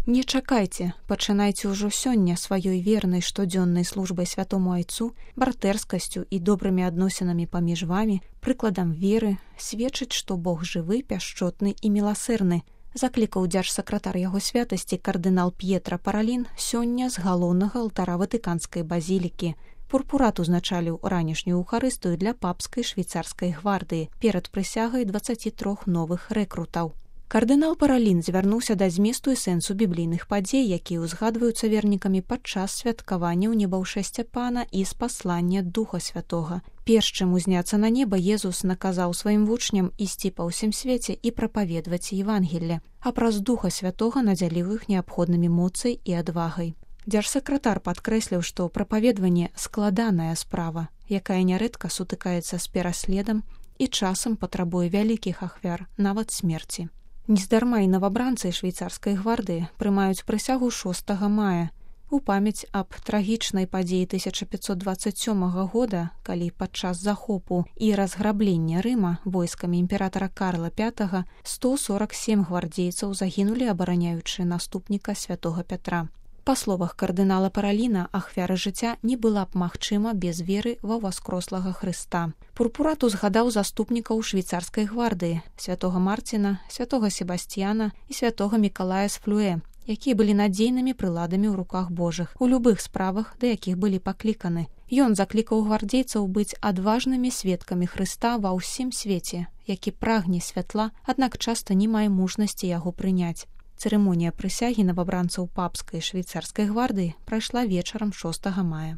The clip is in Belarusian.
Не чакайце, пачынайце ўжо сёння сваёй вернай штодзённай службай святому айцу, братэрскасцю і добрымі адносінамі паміж вамі, прыкладам веры, сведчыць, што Бог жывы, пяшчотны і міласэрны, заклікаў дзяржсакратар яго святасці кардынал П'етра Паралін сёння з галоўнага алтара Ватыканскай базілікі. Пурпурат узначаліў ранішнюю эўхарыстыю для папскай швейцарскай гвардыі перад прысягай 23 новых рэкрутаў. Кардынал Паралін звярнуўся да зместу і сэнсу біблійных падзей, якія ўзгадваюцца вернікамі падчас святкавання ў небаўшэсця Пана і спаслання Духа Святога. Перш чым узняцца на неба, Езус наказаў сваім вучням ісці па ўсім свеце і прапаведваць Евангелле, а праз Духа Святога надзяліў іх неабходнымі моцай і адвагай. Дзяржсакратар падкрэсліў, што прапаведванне складаная справа, якая нярэдка сутыкаецца з пераследам і часам патрабуе вялікіх ахвяр, нават смерці. Нездарма і навабранцы швейцарскай гвардыі прымаюць прысягу 6 мая у памяць аб трагічнай падзеі 1527 года, калі падчас захопу і разграблення Рыма войскамі імператара Карла V 147 гвардзейцаў загінулі, абараняючы наступніка святога Пятра. Па словах кардынала Параліна, ахвяра жыцця не была б магчыма без веры ва ўваскрослага Хрыста. Пурпурат узгадаў заступнікаў швейцарскай гвардыі, святога Марціна, святога Себасцьяна і святога Мікалая з Флюэ, якія былі надзейнымі прыладамі ў руках Божых у любых справах, да якіх былі пакліканы. Ён заклікаў гвардзейцаў быць адважнымі сведкамі Хрыста ва ўсім свеце, які прагне святла, аднак часта не мае мужнасці яго прыняць. Цырымонія прысягі навабранцаў папскай швейцарскай гвардыі прайшла вечарам 6 мая.